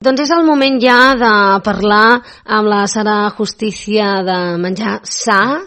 Doncs és el moment ja de parlar amb la Sara Justicia de menjar sa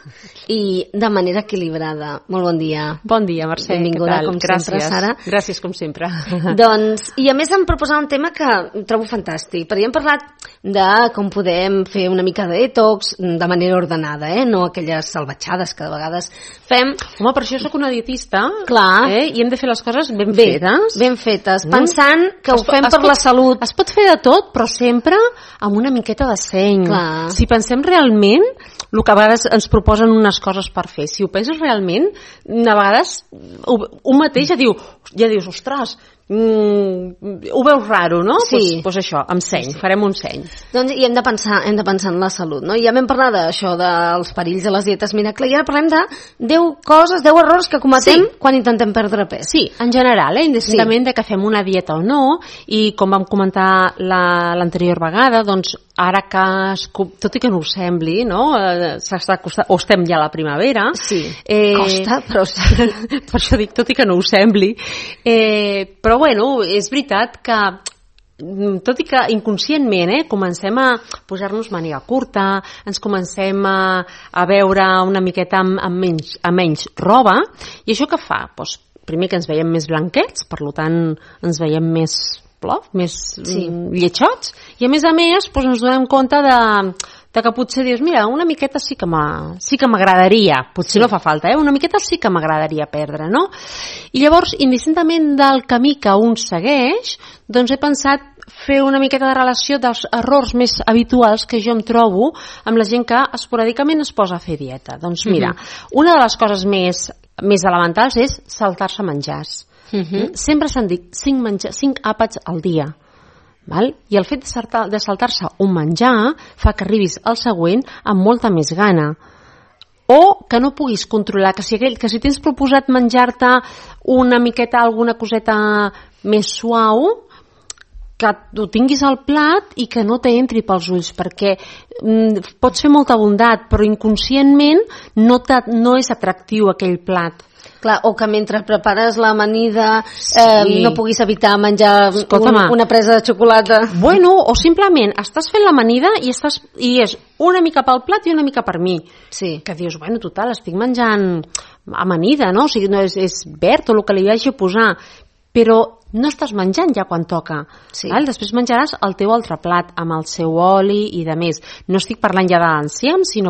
i de manera equilibrada. Molt bon dia. Bon dia, Mercè. Benvinguda, com sempre, Sara. Gràcies, com sempre. Doncs, i a més em proposava un tema que trobo fantàstic, perquè hem parlat de com podem fer una mica de detox de manera ordenada, no aquelles salvatjades que de vegades fem. Home, per això soc una dietista. Clar. I hem de fer les coses ben fetes. Ben fetes, pensant que ho fem per la salut. Es pot fer de tot, però sempre amb una miqueta de seny. Clar. Si pensem realment, el que a vegades ens proposen unes coses per fer, si ho penses realment, a vegades un mateix ja dius, ostres, ho veus raro, no? Sí. Pues això, amb seny, farem un seny. Doncs i hem de pensar en la salut, no? Ja vam parlar d'això dels perills de les dietes miracle i ara parlem de 10 errors que cometem quan intentem perdre pes. Sí, en general, indistintament de que fem una dieta o no, i com vam comentar l'anterior vegada, doncs ara que, tot i que no us sembli, no? S'està costant, o estem ja a la primavera. Sí, costa, però sí. Per això dic, tot i que no us sembli. Però bueno, és veritat que tot i que inconscientment comencem a posar-nos màniga curta, ens comencem a veure una miqueta amb menys roba, i això què fa? Doncs, primer que ens veiem més blanquets, per tant ens veiem més lletjots, i a més doncs ens donem compte de que potser dius, mira, una miqueta sí que m'agradaria, potser no fa falta, una miqueta sí que m'agradaria perdre, no? I llavors, indistintament del camí que un segueix, doncs he pensat fer una miqueta de relació dels errors més habituals que jo em trobo amb la gent que esporàdicament es posa a fer dieta. Doncs mira, una de les coses més elementals és saltar-se menjars. Sempre s'han dit 5 àpats al dia. Val? I el fet de saltar-se un menjar fa que arribis al següent amb molta més gana, o que no puguis controlar, que si tens proposat menjar-te una miqueta, alguna coseta més suau, que ho tinguis al plat i que no t'entri pels ulls, perquè pots fer molta bondat, però inconscientment no és atractiu aquell plat. Clar, o que mentre prepares l'amanida no puguis evitar menjar una presa de xocolata. Bueno, o simplement estàs fent l'amanida i és una mica pel plat i una mica per mi. Sí. Que dius, bueno, total, estic menjant amanida, no? O sigui, no és verd o el que li hagi a posar, però no estàs menjant ja quan toca. Sí. Val? Després menjaràs el teu altre plat amb el seu oli i de més. No estic parlant ja de l'enciam, sinó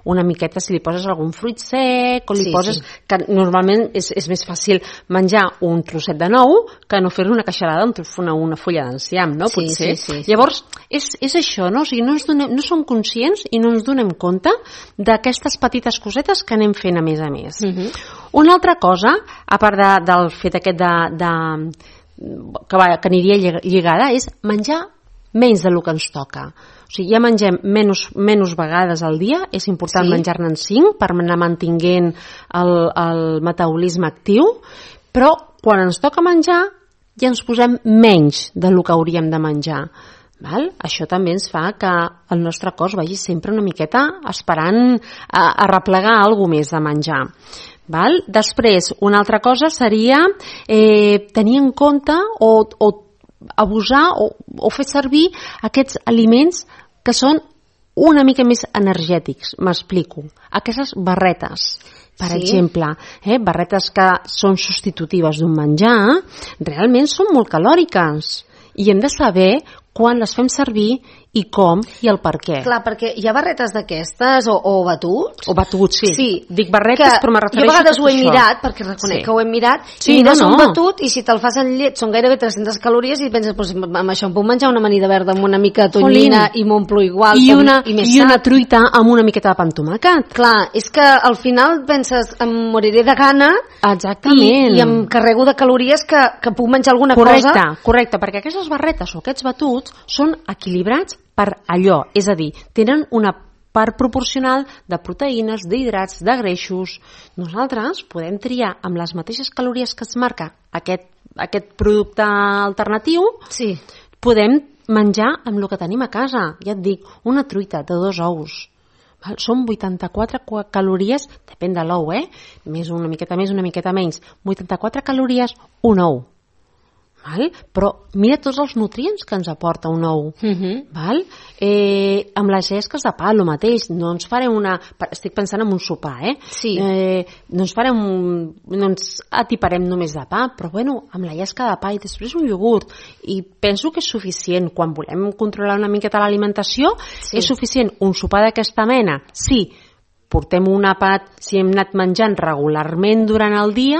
una miqueta si li poses algun fruit sec o li poses... Que normalment és més fàcil menjar un trosset de nou que no fer-li una queixalada amb una fulla d'enciam, no? Potser. Sí. Llavors, és això, no? O sigui, no som conscients i no ens donem compte d'aquestes petites cosetes que anem fent a més. Una altra cosa, a part del fet aquest que aniria lligada, és menjar menys del que ens toca. O sigui, ja mengem menys vegades al dia, és important menjar-ne 5 per anar mantinguent el metabolisme actiu, però quan ens toca menjar ja ens posem menys del que hauríem de menjar. Val? Això també ens fa que el nostre cos vagi sempre una miqueta esperant a arreplegar alguna més de menjar. Val? Després, una altra cosa seria tenir en compte o abusar o fer servir aquests aliments que són una mica més energètics. M'explico. Aquestes barretes, per exemple, barretes que són substitutives d'un menjar, realment són molt calòriques i hem de saber quan les fem servir i com i el per què. Clar, perquè hi ha barretes d'aquestes o batuts. O batuts, sí. Dic barretes, però me refereixo jo a vegades ho he mirat, perquè reconec que ho he mirat, i mires un batut i si te'l fas en llet són gairebé 300 calories i penses, amb això em puc menjar una amanida verda amb una mica de tonyina i m'omplo igual i una truita amb una miqueta de pa amb tomàquet. Clar, és que al final penses em moriré de gana. Exactament. I em carrego de calories que puc menjar alguna cosa. Correcte, perquè aquestes barretes o aquests batuts són equilibrats per allò, és a dir, tenen una part proporcional de proteïnes, d'hidrats, de greixos. Nosaltres podem triar amb les mateixes calories que es marca aquest producte alternatiu, podem menjar amb el que tenim a casa. Ja et dic, una truita de 2 ous. Són 84 calories, depèn de l'ou, més una miqueta més, una miqueta menys. 84 calories, un ou. Val? Però mira tots els nutrients que ens aporta un ou. Val? Amb les llesques de pa, el mateix. No ens farem estic pensant en un sopar, Sí. No ens atiparem només de pa, però bueno, amb la llesca de pa i després un iogurt. I penso que és suficient. Quan volem controlar una miqueta l'alimentació, és suficient. Un sopar d'aquesta mena, sí. Portem un àpat, si hem anat menjant regularment durant el dia,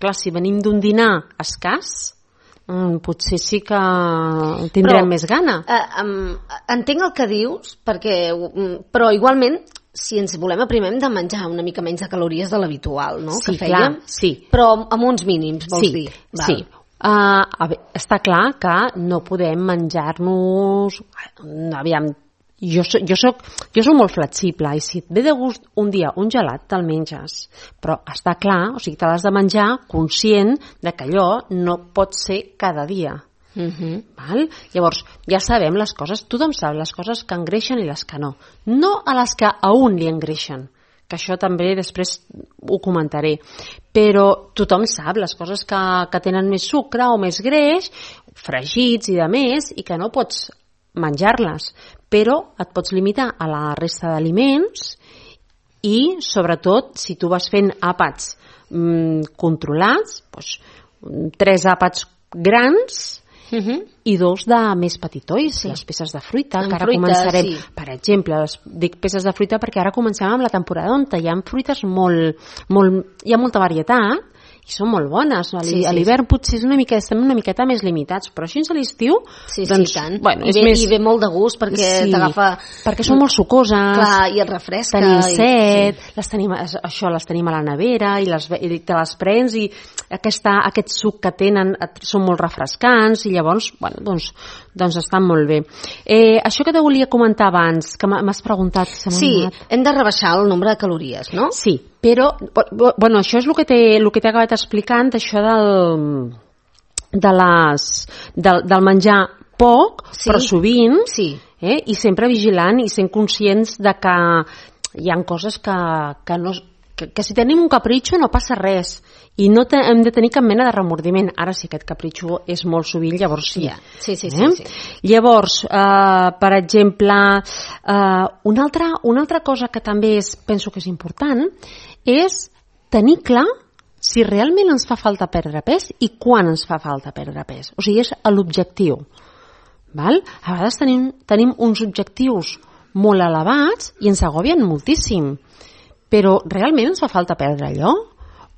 clar, si venim d'un dinar escàs, potser sí que tindrem més gana. Entenc el que dius, però igualment, si ens volem aprimar, hem de menjar una mica menys de calories de l'habitual, no? Sí, que fèiem, sí. Però amb uns mínims, vols dir? Val. Sí. Està clar que no podem menjar-nos... Aviam, jo soc molt flexible i si et ve de gust un dia un gelat te'l menges, però està clar, o sigui, te l'has de menjar conscient de que allò no pot ser cada dia. Val? Llavors, ja sabem les coses, tothom sap les coses que engreixen i les que no a les que a un li engreixen, que això també després ho comentaré, però tothom sap les coses que tenen més sucre o més greix, fregits i de més, i que no pots menjar-les, però et pots limitar a la resta d'aliments i, sobretot, si tu vas fent àpats controlats, doncs, 3 àpats grans i 2 de més petitois, les peces de fruita, que ara començarem, per exemple, dic peces de fruita perquè ara comencem amb la temporada on hi ha fruites hi ha molta varietat, i són molt bones. A l'hivern potser estem una miqueta més limitats, però així a l'estiu doncs, tant. Bueno, I ve molt de gust perquè t'agafa... Perquè són molt sucoses. Clar, i et refresca. Tenim set, les tenim a la nevera i te les prens i aquest suc que tenen són molt refrescants i llavors, bueno, doncs estan molt bé. Això que te volia comentar abans, que m'has preguntat... hem de rebaixar el nombre de calories, no? Sí, però bueno, això és el que t'he acabat explicant, això del menjar poc, però sovint, i sempre vigilant i sent conscients de que hi ha coses que si tenim un capritxo no passa res i no hem de tenir cap mena de remordiment. Ara sí, aquest capritxo és molt sovint, llavors sí. Llavors, per exemple, una altra cosa que també penso que és important és tenir clar si realment ens fa falta perdre pes i quan ens fa falta perdre pes. O sigui, és l'objectiu. A vegades tenim uns objectius molt elevats i ens agobien moltíssim. Però realment ens fa falta perdre allò?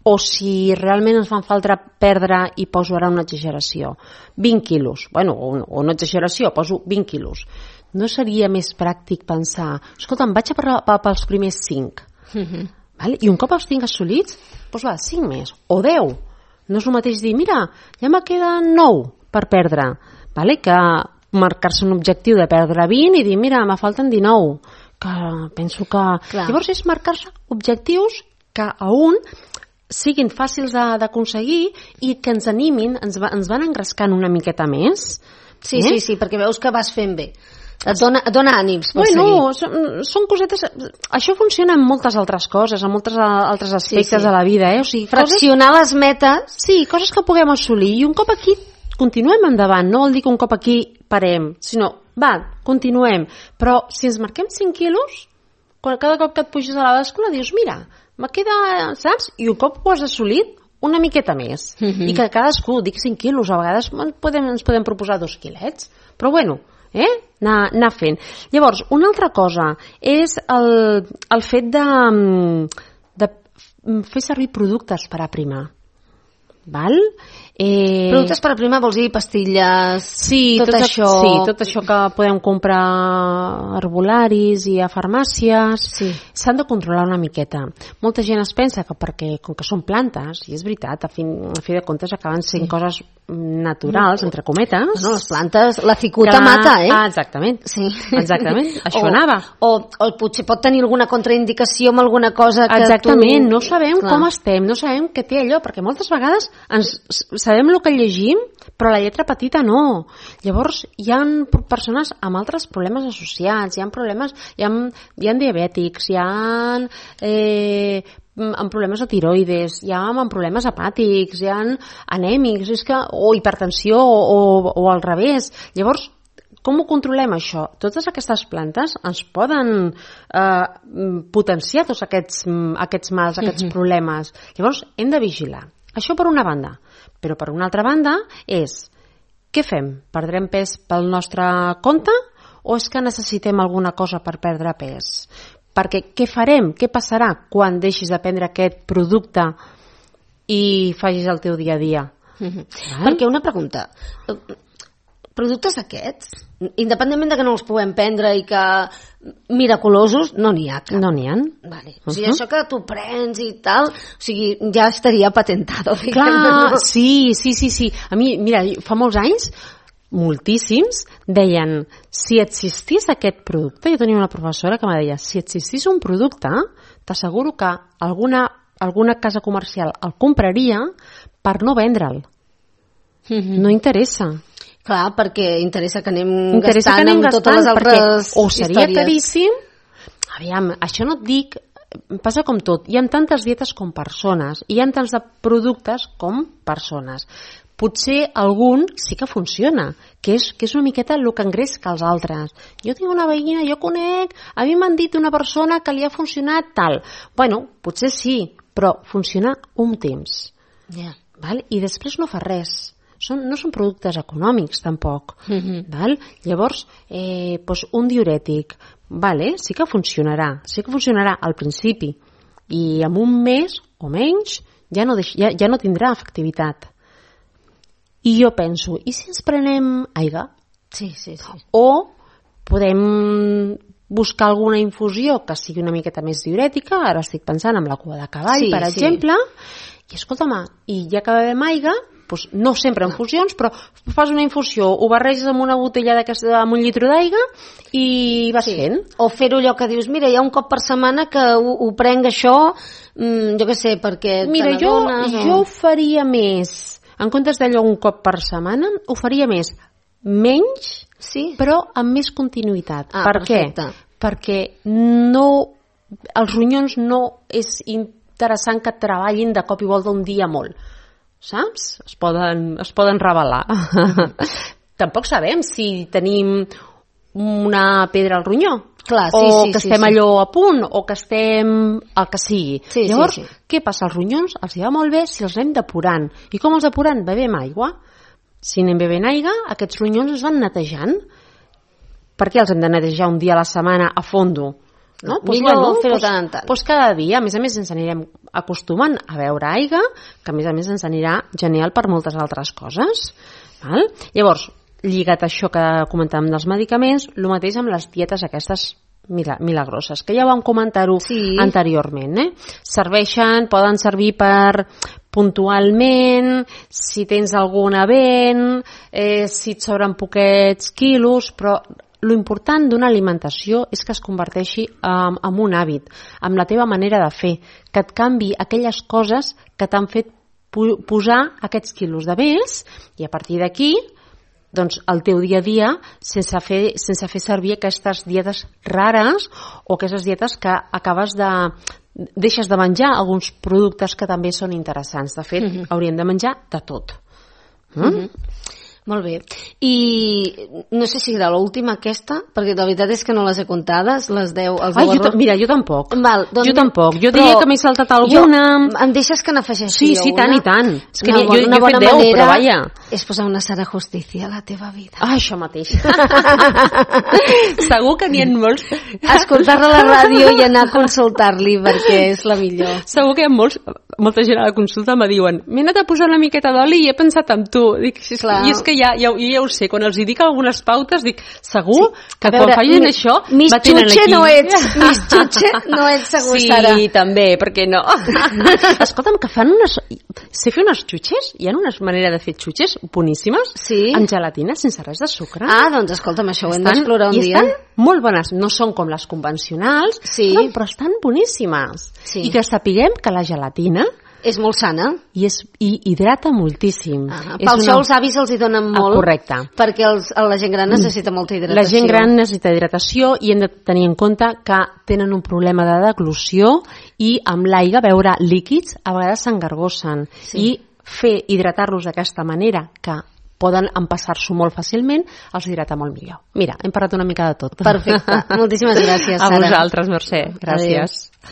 O si realment ens fa falta perdre, i poso ara una exageració, 20 quilos, bueno, o una exageració, poso 20 quilos. No seria més pràctic pensar, escolta, em vaig pels primers 5, i un cop els tinc assolits, doncs va, 5 més, o 10. No és el mateix dir, mira, ja me queden 9 per perdre, que marcar-se un objectiu de perdre 20 i dir, mira, me falten 19, que penso que... Clar. Llavors és marcar-se objectius que a un siguin fàcils d'aconseguir i que ens animin, ens van engrescant una miqueta més. Sí, perquè veus que vas fent bé. Et dona ànims per seguir. Són cosetes... Això funciona en moltes altres coses, en molts altres aspectes de la vida. O sigui, fraccionar les metes. Sí, coses que puguem assolir. I un cop aquí continuem endavant. No vol dir que un cop aquí parem, sinó, continuem. Però si ens marquem 5 quilos, cada cop que et puges a la bàscula dius, mira, me queda, saps? I un cop ho has assolit, una miqueta més. I que cadascú, dic 5 quilos, a vegades ens podem proposar 2 quilets. Però bueno, anar fent. Llavors, una altra cosa és el fet de fer servir productes per aprimar. Productes per aprimar vols dir pastilles, tot això? Sí, tot això que podem comprar a herbolaris i a farmàcies. S'han de controlar una miqueta. Molta gent es pensa que perquè, com que són plantes, i és veritat, a fi de comptes acaben sent coses naturals, entre cometes. No, les plantes, la cicuta mata, Exactament. Això anava. O potser pot tenir alguna contraindicació amb alguna cosa que Exactament, no sabem com estem, no sabem què té allò, perquè moltes vegades sabem el que llegim, però la lletra petita no. Llavors, hi ha persones amb altres problemes associats, hi ha diabètics, hi ha amb problemes de tiroides, hi ha amb problemes hepàtics, hi ha anèmics, o hipertensió, o al revés. Llavors, com ho controlem, això? Totes aquestes plantes ens poden potenciar tots aquests mals, aquests problemes. Llavors, hem de vigilar. Això per una banda. Però per una altra banda és, què fem? Perdrem pes pel nostre compte o és que necessitem alguna cosa per perdre pes? Perquè què farem? Què passarà quan deixis de prendre aquest producte i facis el teu dia a dia? Perquè una pregunta... Productes aquests, independentment de que no els puguem prendre i que miraculosos, no n'hi ha cap. No n'hi ha. Vale. O sigui, això que tu prens i tal, o sigui, ja estaria patentado. Clar, sí. A mi, mira, fa molts anys, moltíssims, deien, si existís aquest producte, jo tenia una professora que me deia, si existís un producte, t'asseguro que alguna casa comercial el compraria per no vendre'l. No interessa. Clar, perquè interessa que anem gastant amb totes les altres o seria històries. caríssim. Aviam, això no et dic, passa com tot, hi ha tantes dietes com persones, hi ha tants de productes com persones. Potser algun sí que funciona, que és una miqueta el que engresca els altres. Jo tinc una veïna, jo conec, a mi m'han dit una persona que li ha funcionat tal. Bueno, potser sí, però funciona un temps. Val? I després no fa res. No són productes econòmics, tampoc. Val? Llavors, un diurètic, sí que funcionarà al principi. I en un mes o menys ja no tindrà efectivitat. I jo penso, i si ens prenem aigua? Sí. O podem buscar alguna infusió que sigui una miqueta més diurètica, ara estic pensant en la cua de cavall, per exemple, i escolta'm, i ja que bevem aigua, doncs no sempre en infusions, però fas una infusió, ho barreges amb una botella amb un litre d'aigua i vas fent. O fer-ho allò que dius, mira, hi ha un cop per setmana que ho prenc això, jo què sé, perquè te n'adones. Jo ho faria més, en comptes d'allò un cop per setmana, ho faria menys, però amb més continuïtat. Per què? Perquè els ronyons no és interessant que treballin de cop i volta un dia molt. Saps? Es poden revelar. Tampoc sabem si tenim una pedra al ronyó, que estem allò a punt, o que estem el que sigui. Llavors, què passa? Els ronyons els va molt bé si els anem depurant. I com els depurant? Bevem aigua. Si anem bevent aigua, aquests ronyons es van netejant. Per què els hem de netejar un dia a la setmana a fondo? No? Millor fer-ho tant en tant. Cada dia, a més ens anirem acostumant a beure aigua, que a més ens anirà genial per moltes altres coses. Val? Llavors, lligat a això que comentàvem dels medicaments, el mateix amb les dietes aquestes milagroses, que ja vam comentar-ho anteriorment. Poden servir per puntualment, si tens algun event, si et sobren poquets quilos, però l'important d'una alimentació és que es converteixi en un hàbit, amb la teva manera de fer, que et canvi aquelles coses que t'han fet posar aquests quilos de més, i a partir d'aquí, doncs, el teu dia a dia, sense fer servir aquestes dietes rares o aquestes dietes que deixes de menjar alguns productes que també són interessants. De fet, hauríem de menjar de tot. Molt bé. I no sé si era l'última aquesta, perquè la veritat és que no les he comptades, les 10, els 10 errors. Mira, jo tampoc. Doncs, jo tampoc. Jo diria que m'he saltat alguna. Em deixes que n'afegeixi una? Sí, tant i tant. És que jo he fet 10, però vaja. És posar una Sara Justicia a la teva vida. Això mateix. Segur que n'hi ha molts. Escoltar-la a la ràdio i anar a consultar-li, perquè és la millor. Segur que hi ha molta gent a la consulta me diuen, m'he anat a posar una miqueta d'oli i he pensat en tu. Dic, i és que ja ho sé, quan els dic algunes pautes dic, segur que quan facin això mis xutxe no ets segur, Sara. Sí, també, per què no? Escolta'm, que fan sé fer unes xutxes, hi ha una manera de fer xutxes boníssimes, amb gelatina sense res de sucre. Doncs escolta'm, això ho hem d'explorar un dia. I estan molt bones, no són com les convencionals, però estan boníssimes. I que sapiguem que la gelatina És molt sana. I hidrata moltíssim. Per això els avis els hi donen molt. Correcte. Perquè la gent gran necessita molta hidratació. La gent gran necessita hidratació i hem de tenir en compte que tenen un problema de deglució i amb l'aigua beure líquids a vegades s'engargossen. I hidratar-los d'aquesta manera, que poden empassar-s'ho molt fàcilment, els hidrata molt millor. Mira, hem parlat una mica de tot. Perfecte. Moltíssimes gràcies, Sara. A vosaltres, Mercè. Gràcies. Adéu.